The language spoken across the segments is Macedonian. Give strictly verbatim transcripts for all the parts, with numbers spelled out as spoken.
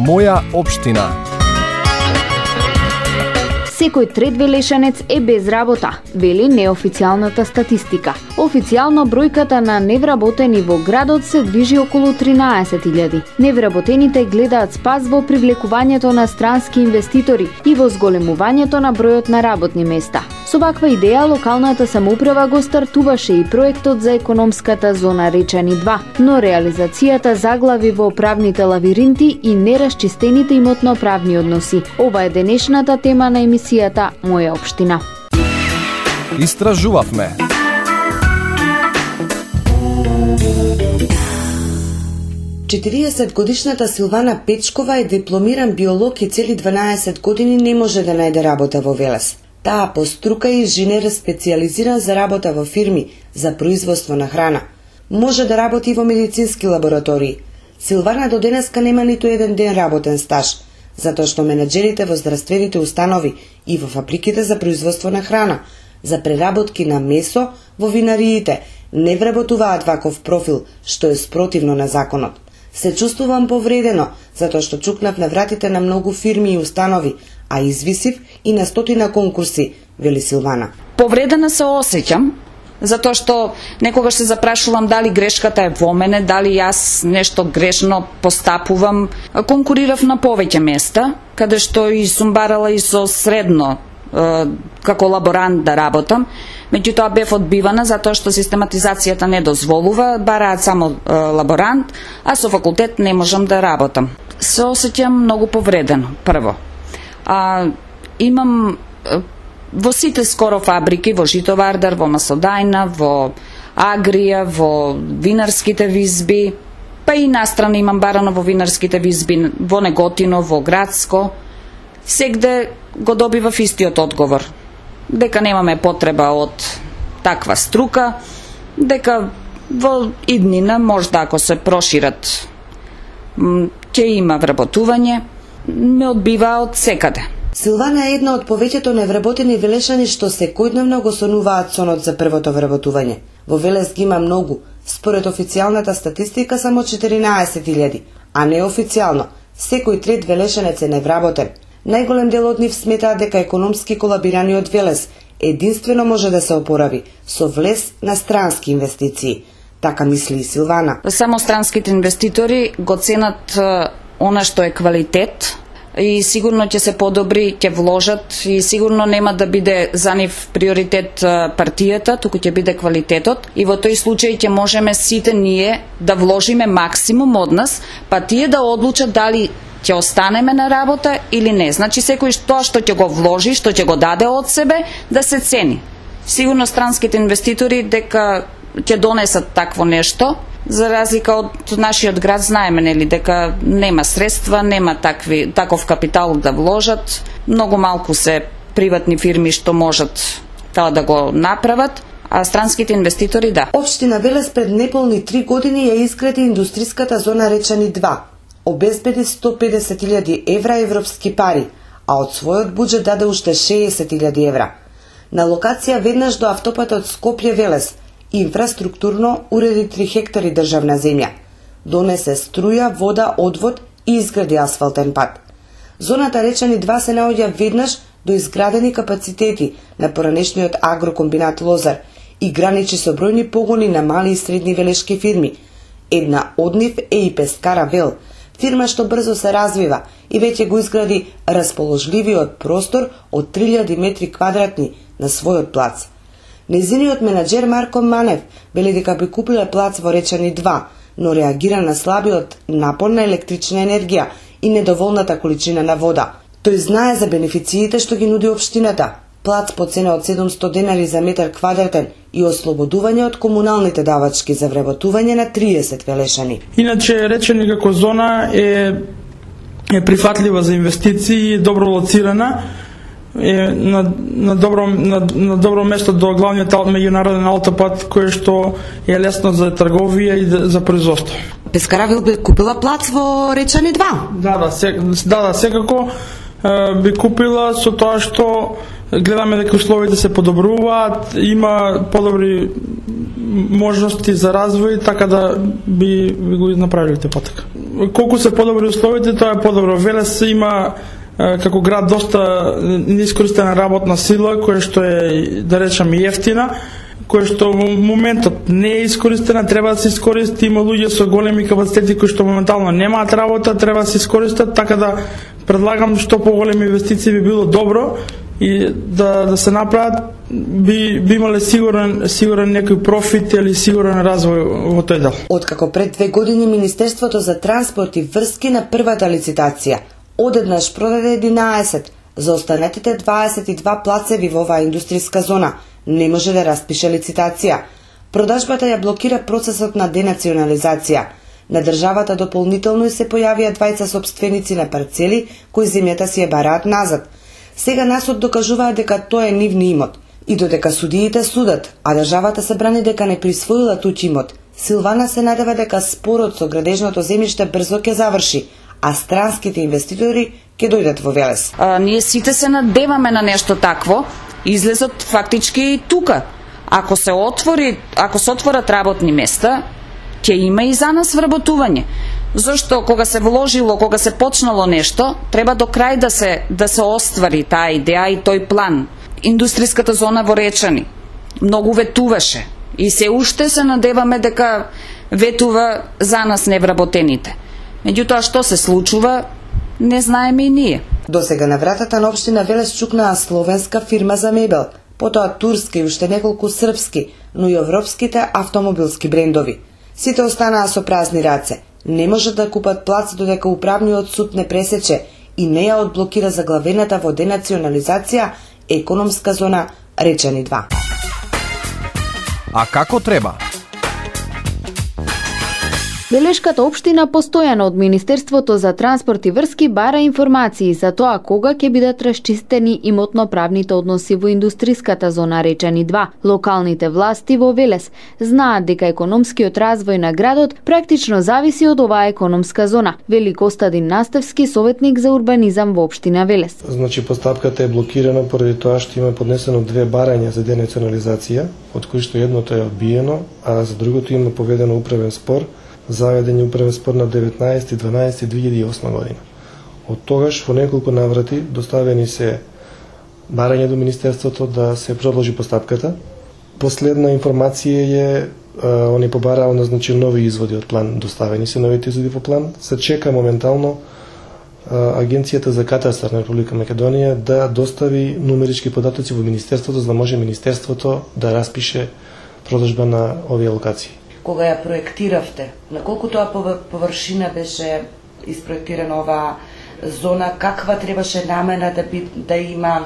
Моја општина. Секој трет велешанец е без работа, вели неофицијалната статистика. Официјално бројката на невработени во градот се движи околу тринаесет илјади. Невработените гледаат спас во привлекувањето на странски инвеститори и во зголемувањето на бројот на работни места. Со ваква идеја локалната самоуправа го стартуваше и проектот за економската зона Речани два, но реализацијата заглави во правните лавиринти и нерасчистените имотно-правни односи. Ова е денешната тема на емисијата Моја општина. Истражувавме. четириесетгодишната Силвана Печкова е дипломиран биолог и цели дванаесет години не може да најде работа во Велес. Таа по струка е инженер специјализиран за работа во фирми за производство на храна. Може да работи во медицински лаборатории. Силвана до денеска нема ниту еден ден работен стаж, затоа што менаџерите во здравствените установи и во фабриките за производство на храна, за преработки на месо во винариите, не вработуваат ваков профил, што е спротивно на законот. Се чувствувам повредено, затоа што чукнав на вратите на многу фирми и установи, а извисив и на стотина конкурси, вели Силвана. Повредена се осеќам, затоа што некогаш се запрашувам дали грешката е во мене, дали јас нешто грешно постапувам. Конкурирав на повеќе места, каде што и сум барала и со средно како лаборант да работам, меѓутоа бев одбивана затоа што систематизацијата не дозволува, бараат само е, лаборант, а со факултет не можам да работам. Се осеќам многу повредено, прво. А, имам е, во сите скоро фабрики, во Житовардар, во Масодајна, во Агрија, во винарските визби, па и настрана имам барано во винарските визби, во Неготино, во Градско, сегде го добивав истиот одговор. Дека немаме потреба од таква струка, дека во иднина, можда ако се прошират, ќе има вработување, ме одбива од секаде. Силвана е една од повеќето невработени велешани што секојдневно го сонуваат сонот за првото вработување. Во Велес ги има многу, според официјалната статистика само четиринаесет илјади, а неофицијално секој трет велешанец е невработен. Најголем дел од нив сметаат дека економски колабираниот Велес единствено може да се опорави со влез на странски инвестиции. Така мисли и Силвана. Само странските инвеститори го ценат она што е квалитет и сигурно ќе се подобри, ќе вложат и сигурно нема да биде за нив приоритет партијата, туку ќе биде квалитетот и во тој случај ќе можеме сите ние да вложиме максимум од нас, па тие да одлучат дали ќе останеме на работа или не. Значи секој тоа што ќе го вложи, што ќе го даде од себе, да се цени. Сигурно странските инвеститори дека ќе донесат такво нешто, за разлика од нашиот град знаеме нели дека нема средства, нема такви таков капитал да вложат. Многу малку се приватни фирми што можат тоа да го направат, а странските инвеститори да. Општина Велес пред неполни три години ја изгради индустријската зона Речани два. Обезбеди сто педесет илјади евра европски пари, а од својот буџет даде уште шеесет илјади евра. На локација веднаш до автопатот Скопје-Велес инфраструктурно уреди три хектари државна земја. Донесе струја, вода, одвод и изгради асфалтен пат. Зоната Речани два се наоѓа веднаш до изградени капацитети на поранешниот агрокомбинат Лозар и граничи со бројни погони на мали и средни велешки фирми. Една од нив е и Пескара Вел, фирма што брзо се развива и веќе го изгради расположливиот простор од три илјади метри квадратни на својот плац. Незиниот менаџер Марко Манев вели дека би купила плац во Речани два, но реагира на слабиот напор на електрична енергија и недоволната количина на вода. Тој знае за бенефициите што ги нуди општината. Плац по цена од седумсто денари за метар квадратен и ослободување од комуналните давачки за вработување на триесет велешани. Иначе Речани како зона е, е прифатлива за инвестиции, добро лоцирана, е на, на, добро, на, на добро место до главниот меѓународен автопат, кој што е лесно за трговија и за производство. Пескаравил би купила плац во Речани два? Да, да, се, да, да секако би купила со тоа што гледаме дека условите се подобруваат, има подобри можности за развој, така да би, би го направиле те потека. Колку се подобри условите, тоа е подобро. Велес има како град доста неискористена работна сила, која што е, да речам, ефтина, која што во моментот не е искористена, треба да се искористи. Има луѓе со големи капацитети кои што моментално немаат работа, треба да се искористат, така да предлагам што поголеми инвестиции би било добро и да, да се направат, би, би имале сигурен, сигурен некој профит или сигурен развој во тој дел. Откако пред две години Министерството за транспорт и врски на првата лицитација одеднаш продаде единаесет за останатите дваесет и два плацеви во оваа индустријска зона, не може да распише лицитација. Продажбата ја блокира процесот на денационализација. На државата дополнително и се појавија двајца собственици на парцели кои земјата си ја бараат назад. Сега насот докажуваат дека тоа е нивни имот и додека судиите судат, а државата се брани дека не присвоила туѓ имот. Силвана се надева дека спорот со градежното земјиште брзо ќе заврши, а странските инвеститори ќе дојдат во Велес. А, ние сите се надеваме на нешто такво. Излезот фактички и тука. Ако се отвори, ако се отворат работни места, ќе има и за нас вработување. Зошто кога се вложило, кога се почнало нешто, треба до крај да се да се оствари таа идеја и тој план. Индустријската зона во Речани многу ветуваше и се уште се надеваме дека ветува за нас невработените. Меѓутоа што се случува, не знаеме и ние. До сега на вратата на општина Велес чукнаа словенска фирма за мебел, потоа турски и уште неколку српски, но и европските автомобилски брендови. Сите останаа со празни раце. Не можат да купат плац додека управниот суд не пресече и не ја одблокира заглавената во денационализација економска зона Речани два. А како треба? Белешката општина постојано од Министерството за транспорт и врски бара информации за тоа кога ќе бидат расчистени имотно-правните односи во индустријската зона Речани два. Локалните власти во Велес знаат дека економскиот развој на градот практично зависи од оваа економска зона, вели Костадин Настевски, советник за урбанизам во општина Велес. Значи постапката е блокирана поради тоа што има поднесено две барања за денационализација, од кои што едното е одбиено, а за другото има поведено управен спор. Заведен е управен спор на деветнаесети дванаесети две илјади и осма година. Од тогаш во неколку наврати доставени се барања до Министерството да се продолжи постапката. Последна информација е, они побараа назначи нови изводи од план, доставени се новите изводи по план. Се чека моментално Агенцијата за катастар на Република Македонија да достави нумерички податоци во Министерството, за да може Министерството да распише продажба на овие локации. Кога ја проектиравте, на колку тоа површина беше испроектирана оваа зона, каква требаше намена да, би, да има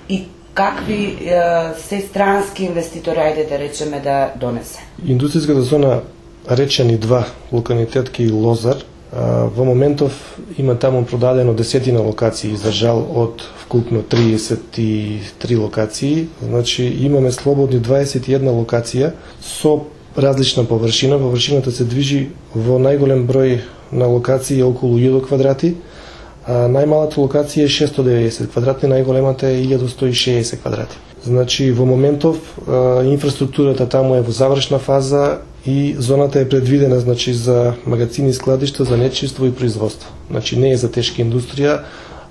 и какви е, се странски инвеститори, ајде да речеме, да донесе? Индустријската зона Речани два, локалитет и Лозар, во моментов има таму продадено десетина локации, издржал од вкупно триесет и три локации, значи имаме слободни дваесет и една локација со различна површина. Површината се движи во најголем број на локации околу илјада квадрати, а најмалата локација е шестстотини и деветдесет квадрати, најголемата е илјада сто и шеесет квадрати. Значи во моментов а, инфраструктурата таму е во завршна фаза и зоната е предвидена, значи, за магазини и складишта за нечиство и производство. Значи не е за тешка индустрија,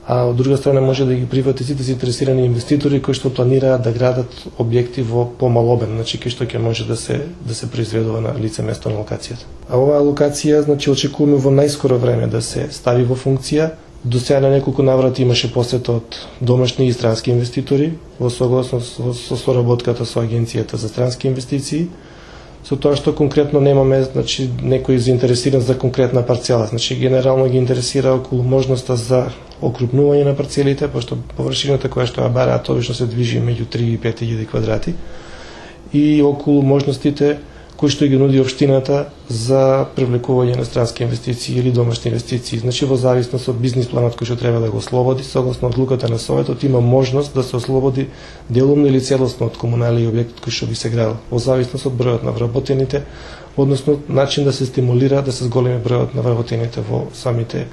а од друга страна може да ги прифати сите заинтересирани инвеститори кои што планираат да градат објекти во помал обем, значи кои што ќе може да се да се произведува на лице место на локацијата. А оваа локација, значи, очекуваме во најскоро време да се стави во функција. До сега на неколку наврати имаше посета од домашни и странски инвеститори во согласност со соработката со Агенцијата за странски инвестиции, со тоа што конкретно немаме, значи, некој заинтересиран за конкретна парцела. Значи генерално ги интересира околу можноста за окрупнување на парцелите, пошто површината која што ја бараат обично се движи меѓу три и пет илјади квадрати, и околу можностите кои што ги нуди општината за привлекување на странски инвестиции или домашни инвестиции. Значи во зависност од бизнис планот кој што треба да го ослободи, согласно одлуката на Советот, има можност да се ослободи делумно или целосно од комунални објектот кој што би се градил, во зависност од бројот на вработените, односно начин да се стимулира да се зголеми бројот на вработените во самите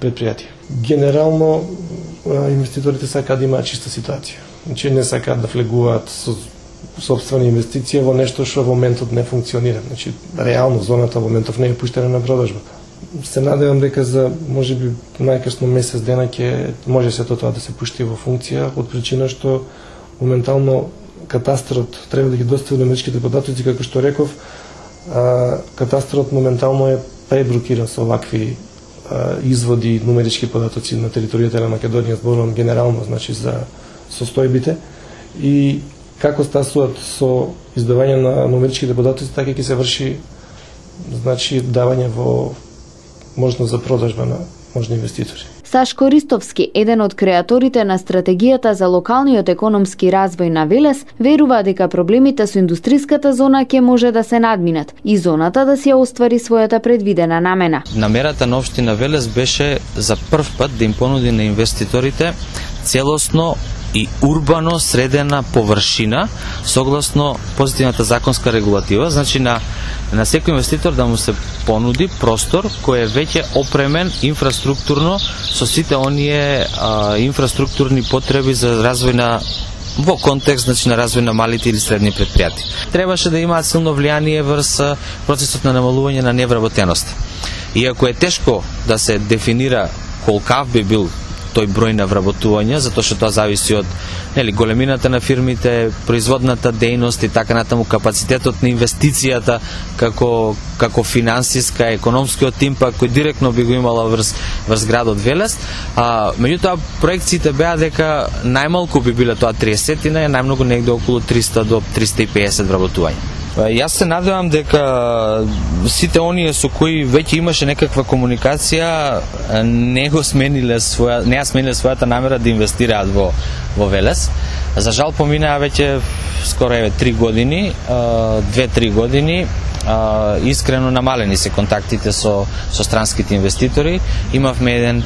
предпријатија. Генерално инвеститорите сакаат да имаат чиста ситуација. Значи не сакаат да влегуваат со сопствена инвестиција во нешто што во моментот не функционира. Значи, реално зоната во моментов не е пуштена на продажба. Се надевам дека за можеби најкасно месец дена ќе може сето тоа да се пушти во функција, од причина што моментално катастарот треба да ги достави нумеричките податоци, како што реков, а, катастарот моментално е преблокиран со вакви а, изводи нумерички податоци на територијата на Македонија, зборувам генерално, значи за состојбите, и како стасуваат со издавање на нумеричките податоци, така ќе се врши, значи, давање во можност за продажба на можни инвеститори. Сашко Ристовски, еден од креаторите на стратегијата за локалниот економски развој на Велес, верува дека проблемите со индустриската зона ќе може да се надминат и зоната да си ја оствари својата предвидена намена. Намерата на општина Велес беше за прв пат да им понуди на инвеститорите целосно и урбано средена површина согласно позитивната законска регулатива, значи на на секој инвеститор да му се понуди простор кој е веќе опремен инфраструктурно со сите оние а, инфраструктурни потреби за развој на во контекст, значи, на развој на малите или средни предпријатија. Требаше да имаат силно влијание врз процесот на намалување на невработеност. Иако е тешко да се дефинира колкав би бил тој број на вработување, затоа што тоа зависи од, нели, големината на фирмите, производната дејност и така натаму, капацитетот на инвестицијата како како финансиска, економскиот импакт кој директно би го имала врз врз градот Велес. А меѓутоа проекциите беа дека најмалку би биле тоа триесетина, најмногу негде околу триста до триста и пеесет вработувања. Јас се надевам дека сите оние со кои веќе имаше некаква комуникација не го смениле своја, не ја смениле својата намера да инвестираат во во Велес. За жал поминаа веќе скоро еве три години, две-три години. Искрено намалени се контактите со со странските инвеститори. Имавме еден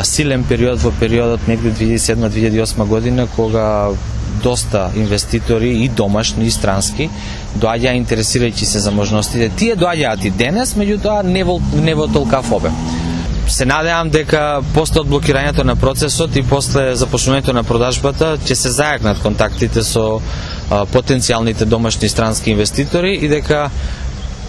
силен период во периодот негде две илјади и седма - две илјади и осма година, кога доста инвеститори и домашни и странски доаѓаа интересирајќи се за можностите. Тие доаѓаат и денес, меѓутоа не во не во толкав обем. Се надевам дека после одблокирањето на процесот и после започнувањето на продажбата ќе се зајакнат контактите со а, потенцијалните домашни и странски инвеститори и дека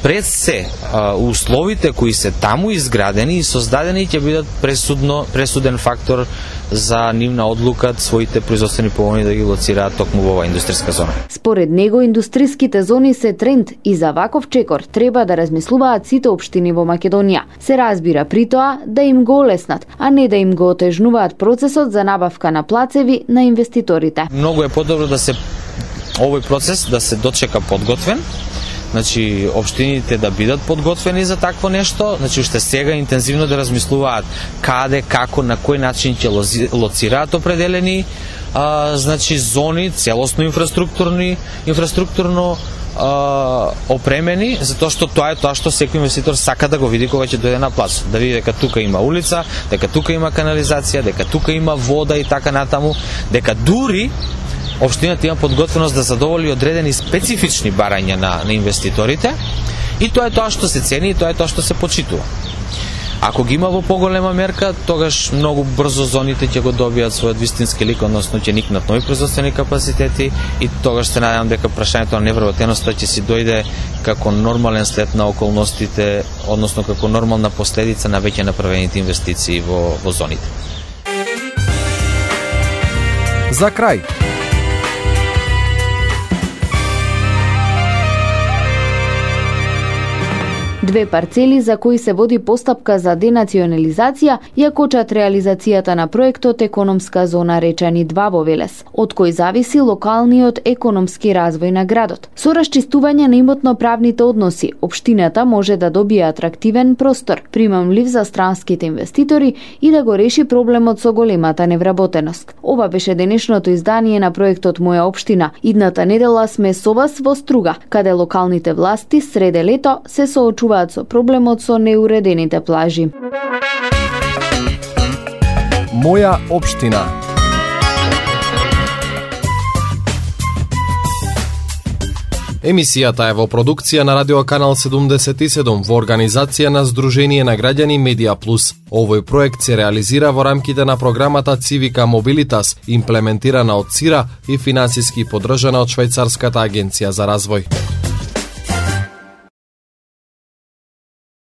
пред се а, условите кои се таму изградени и создадени ќе бидат пресудно пресуден фактор за нивна одлука своите производствени погони да ги лоцираат токму во оваа индустријска зона. Според него, индустриските зони се тренд и за ваков чекор треба да размислуваат сите општини во Македонија. Се разбира при тоа да им го олеснат, а не да им го отежнуваат процесот за набавка на плацеви на инвеститорите. Многу е подобро да се овој процес да се дочека подготвен. Значи, општините да бидат подготвени за такво нешто, значи уште сега интензивно да размислуваат каде, како, на кој начин ќе лоцираат определени а, значи зони, целосно инфраструктурни, инфраструктурно а, опремени, затоа што тоа е тоа што секој инвеститор сака да го види кога ќе дојде на плац, да види дека тука има улица, дека тука има канализација, дека тука има вода и така натаму, дека дури општината има подготвеност да задоволи одредени специфични барања на, на инвеститорите и тоа е тоа што се цени и тоа е тоа што се почитува. Ако ги има во поголема мерка, тогаш многу брзо зоните ќе го добијат својот вистински лик, односно ќе никнат нови производствени капацитети и тогаш се надевам дека прашањето на невработеноста ќе си дојде како нормален след на околностите, односно како нормална последица на веќе направените инвестиции во, во зоните. За крај. Две парцели за кои се води постапка за денационализација ја кочат реализацијата на проектот Економска зона Речани два во Велес, од кој зависи локалниот економски развој на градот. Со расчистување на имотно-правните односи, општината може да добие атрактивен простор, примамлив за странските инвеститори и да го реши проблемот со големата невработеност. Ова беше денешното издание на проектот Моја општина. Идната недела сме со вас во Струга, каде локалните власти среде лето се соочуваат со проблемот со неуредените плажи. Моја општина. Емисијата е во продукција на Радио Канал седумдесет и седум во организација на Сдружение на граѓани Медија Плюс. Овој проект се реализира во рамките на програмата Цивика Мобилитас, имплементирана од ЦИРА и финансиски поддржана од Швајцарската агенција за развој.